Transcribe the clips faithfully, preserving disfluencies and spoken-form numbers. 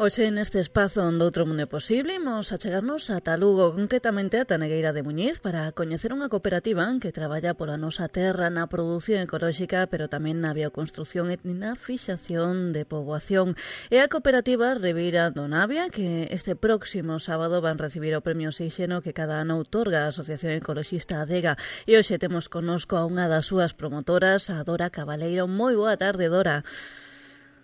Hoxe neste espazo onde outro mundo é posible imos achegarnos ata Lugo, concretamente a Tanegueira de Muñiz, para coñecer unha cooperativa que traballa pola nosa terra na produción ecolóxica, pero tamén na bioconstrucción e na fixación de poboación. É a cooperativa Ribeira do Navia, que este próximo sábado van recibir o premio Seixeno que cada ano outorga a Asociación Ecoloxista Adega. E hoxe temos connosco a unha das súas promotoras, a Dora Cabaleiro. Moi boa tarde, Dora.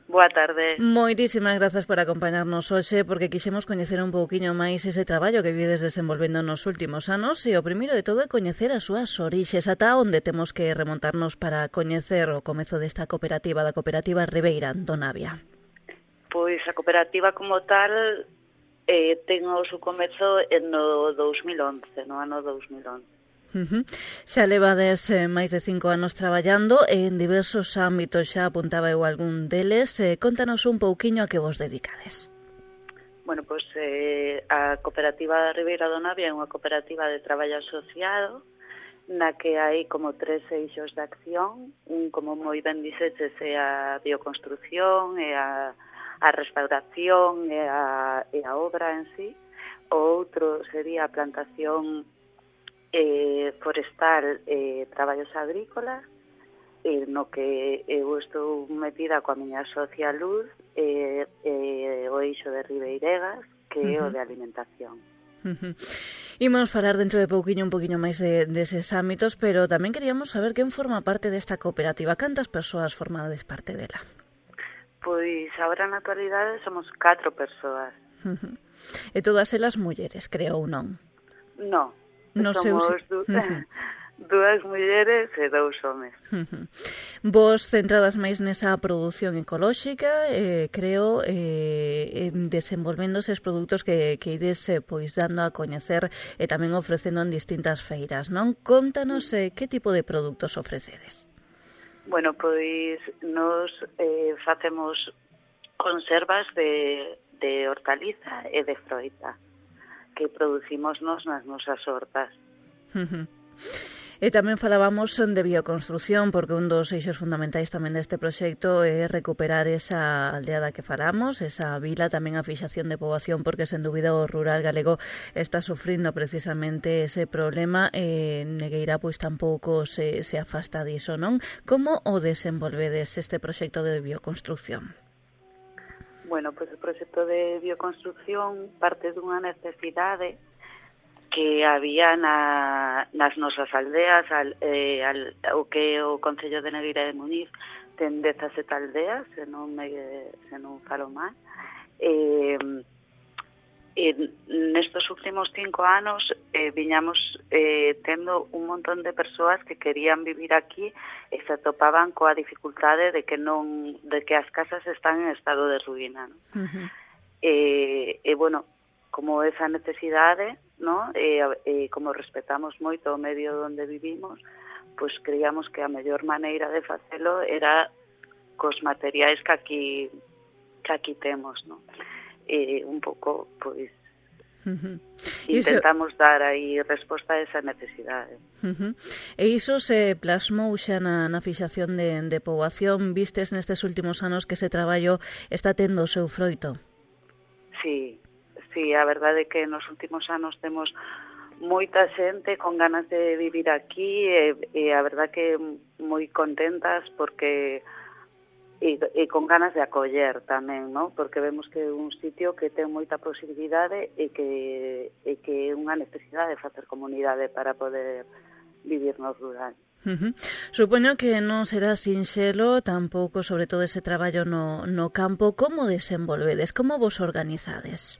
Boa tarde. Moitísimas grazas por acompañarnos hoxe, porque quixemos coñecer un pouquiño máis ese traballo que vides desenvolvendo nos últimos anos, e o primeiro de todo é coñecer as súas orixes, ata onde temos que remontarnos para coñecer o comezo desta cooperativa, da cooperativa Ribeira do Navia. Pois a cooperativa como tal eh, ten o seu comezo no dous mil once, no ano dous mil once. Uh-huh. Xa levades eh, máis de cinco anos traballando en diversos ámbitos, xa apuntaba eu algún deles. Eh, contanos un pouquiño a que vos dedicades. Bueno, pois eh, a cooperativa Ribeira do Navia é unha cooperativa de traballo asociado na que hai como tres eixos de acción. Un, como moi ben dixeches, é a bioconstrucción, é a, a restauración, é a, é a obra en sí. O outro sería a plantación Eh, forestal e eh, traballos agrícolas, eh, no que eu estou metida coa miña socia Luz, e eh, eh, o eixo de Ribeiregas, que é uh-huh. o de alimentación. Uh-huh. Imos falar dentro de pouquiño un pouquiño máis de, deses ámbitos, pero tamén queríamos saber quen forma parte desta cooperativa. Cantas persoas formades parte dela? Pois agora na actualidade somos catro persoas. Uh-huh. E todas elas mulleres, creo, ou non? Non. No Somos seus... du... uh-huh. dúas mulleres e dous homes. Uh-huh. Vos centradas máis nesa produción ecolóxica, eh, creo, eh, en desenvolvendo eses produtos que, que ides eh, pois dando a coñecer e tamén ofrecendo en distintas feiras, non? Contanos eh, que tipo de produtos ofrecedes. Bueno, pois nos eh, facemos conservas de, de hortaliza e de froita que producimos nos nas nosas hortas. Uh-huh. E tamén falábamos de bioconstrucción, porque un dos eixos fundamentais tamén deste proxecto é recuperar esa aldea da que falamos, esa vila, tamén a fixación de poboación, porque sen dúbida o rural galego está sufrindo precisamente ese problema, e Negueira pois tampouco se, se afasta diso, non? Como o desenvolvedes este proxecto de bioconstrucción? Bueno, pois o proxecto de bioconstrucción parte dunha necesidade que había na, nas nosas aldeas, al, eh, al, o que o Concello de Negueira de Muñiz ten dezasete aldeas, se non, me, se non falo mal. Eh, E nestos últimos cinco anos eh, viñamos eh, tendo un montón de persoas que querían vivir aquí e se atopaban coa dificultade de que non de que as casas están en estado de ruína, ¿no? Uh-huh. E, e bueno, como esa necesidade, ¿no? E, e como respetamos moito o medio onde vivimos, pois creíamos que a mellor maneira de facelo era cos materiais que aquí que aquí temos, ¿no? E un pouco, pois, uh-huh. intentamos iso... dar aí resposta a esa necesidade. Uh-huh. E iso se plasmou xa na, na fixación de, de poboación. Vistes nestes últimos anos que ese traballo está tendo o seu froito? Sí, sí, a verdade é que nos últimos anos temos moita xente con ganas de vivir aquí e, e a verdade que moi contentas porque... E, e con ganas de acoller tamén, ¿no? Porque vemos que é un sitio que ten moita posibilidade e que e que é unha necesidade de facer comunidade para poder vivir no rural. Uh-huh. Supoño que non será sinxelo tampouco, sobre todo ese traballo no, no campo. Como desenvolvedes? Como vos organizades?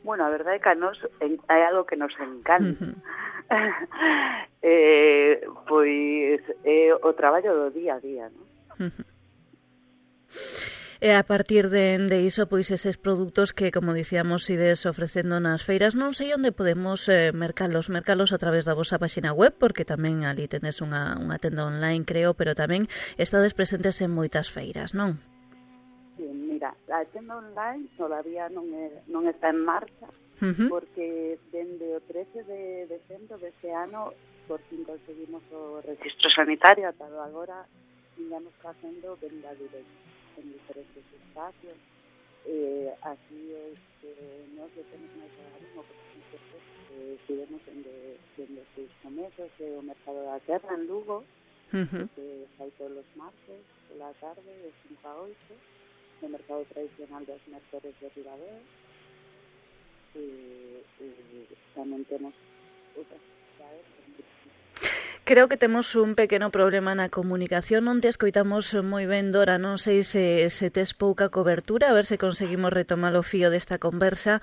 Bueno, a verdade é que a nos hai algo que nos encanta. Uh-huh. eh, pois é o traballo do día a día, ¿no? Uh-huh. E a partir de, de iso, pois eses produtos que, como dicíamos, ides ofrecendo nas feiras, non sei onde podemos eh, mercalos, mercalos a través da vosa página web, porque tamén ali tendes unha, unha tenda online, creo, pero tamén estades presentes en moitas feiras, non? Sí, mira, a tenda online todavía non, é, non está en marcha, uh-huh. porque dende o trece de decembro deste ano, por fin conseguimos o registro sanitario, ata agora, íamos facendo venda directa en diferentes espacios, eh, así es que nós le temos máis agarimo, porque nosotros eh, estivemos dende, dende os comezos do mercado da terra en Lugo, Uh-huh. que sai todos os martes, pola tarde, de cinco a oito, no mercado tradicional dos mercores de Ribadeo, e, e tamén temos outras actividades. Creo que temos un pequeno problema na comunicación, non te escoitamos moi ben, Dora, non sei se, se tes pouca cobertura, a ver se conseguimos retomar o fío desta conversa.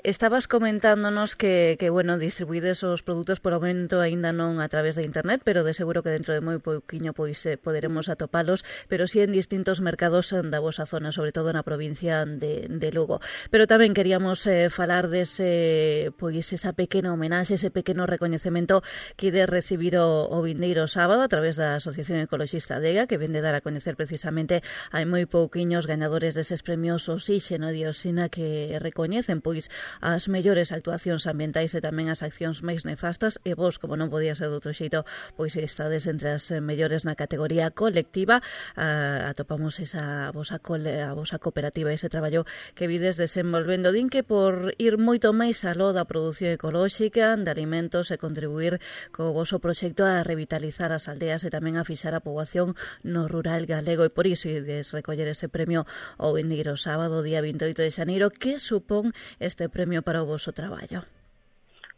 Estabas comentándonos que, que bueno, distribuídes os produtos por aumento aínda non a través de internet, pero de seguro que dentro de moi pouquiño pois eh, poderemos atopalos, pero sí en distintos mercados da vosa zona, sobre todo na provincia de, de Lugo. Pero tamén queríamos eh, falar dese, pois esa pequena homenaxe, ese pequeno recoñecemento que de recibir o, o vindeiro sábado a través da Asociación Ecoloxista Adega, que vende dar a coñecer precisamente hai moi pouquiños gañadores deses premios Oxígeno e Dioxina que recoñecen pois as mellores actuacións ambientais e tamén as accións máis nefastas, e vos, como non podía ser de outro xeito, pois estades entre as mellores na categoría colectiva. Uh, atopamos esa vosa, cole, a vosa cooperativa, ese traballo que vides desenvolvendo. Din que por ir moito máis aló da produción ecolóxica de alimentos e contribuir co voso proxecto a revitalizar as aldeas e tamén a fixar a poboación no rural galego, e por iso ides recoller ese premio o vindeiro sábado, día vinte e oito de xaneiro. Que supón este premio para o voso traballo?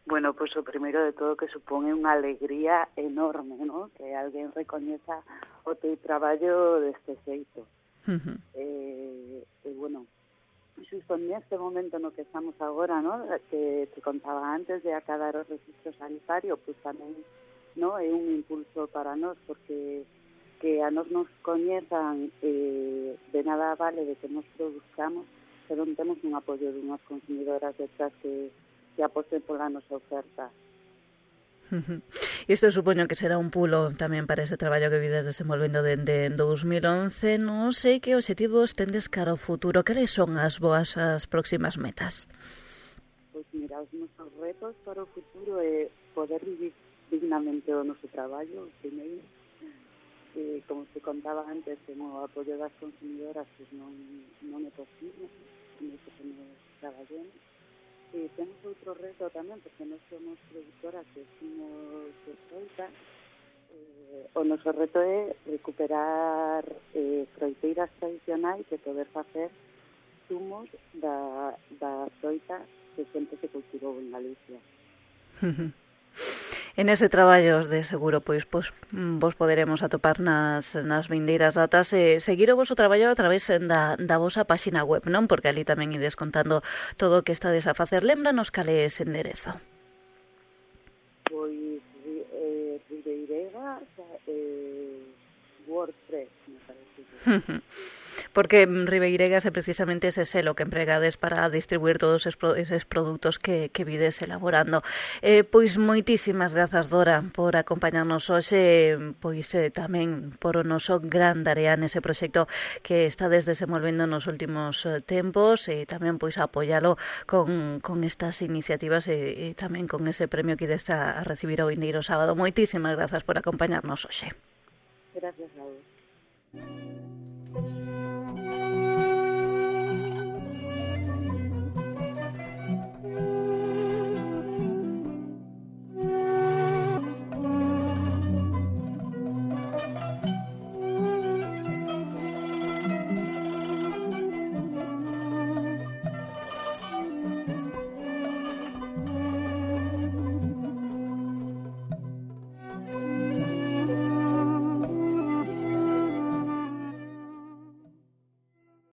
Bueno, pois pues, o primeiro de todo que supón unha alegría enorme, ¿no? Que alguén recoñeza o teu traballo deste xeito. Uh-huh. Eh, e, bueno, xusto neste momento no que estamos agora, ¿no? Que te contaba antes de acadar o registro sanitario, pois pues, tamén, ¿no? É un impulso para nós, porque que a nós nos coñezan eh, de nada vale de que nos produzcamos se non temos un apoio de unhas consumidoras detrás que, que aposten pola nosa oferta. Uh-huh. Isto supoño que será un pulo tamén para ese traballo que vides desenvolvendo dende dous mil once. Non sei que obxectivos tendes cara ao futuro. Cales son as boas as próximas metas? Pois mira, os nosos retos para o futuro é poder vivir dignamente o noso traballo, primeiro. Eh, como te contaba antes, como o apoio das consumidoras pues non, non é posible, non é que nos traballemos. E temos outro reto tamén, porque nós somos productoras que somos de froita. Eh, o noso reto é recuperar eh, froiteiras tradicionais e poder facer zumos da, da froita que sempre se cultivou en Galicia. En ese traballo de seguro pois, pois vos poderemos atopar nas, nas vindeiras datas e seguir o voso traballo a través da, da vosa páxina web, non? Porque ali tamén ides contando todo o que estades a facer. Lémbranos cal é ese enderezo. Pois eh, Ribeirega eh, WordPress, me parece. Porque Ribeiregas é precisamente ese selo que empregades para distribuir todos eses produtos que, que vides elaborando. Eh, pois moitísimas grazas, Dora, por acompañarnos hoxe, pois eh, tamén por o noso gran tarea nese proxecto que estades desenvolvendo nos últimos eh, tempos, e tamén pois apoialo con, con estas iniciativas e, e tamén con ese premio que ides a, a recibir o vindeiro sábado. Moitísimas grazas por acompañarnos hoxe. Gracias a vos.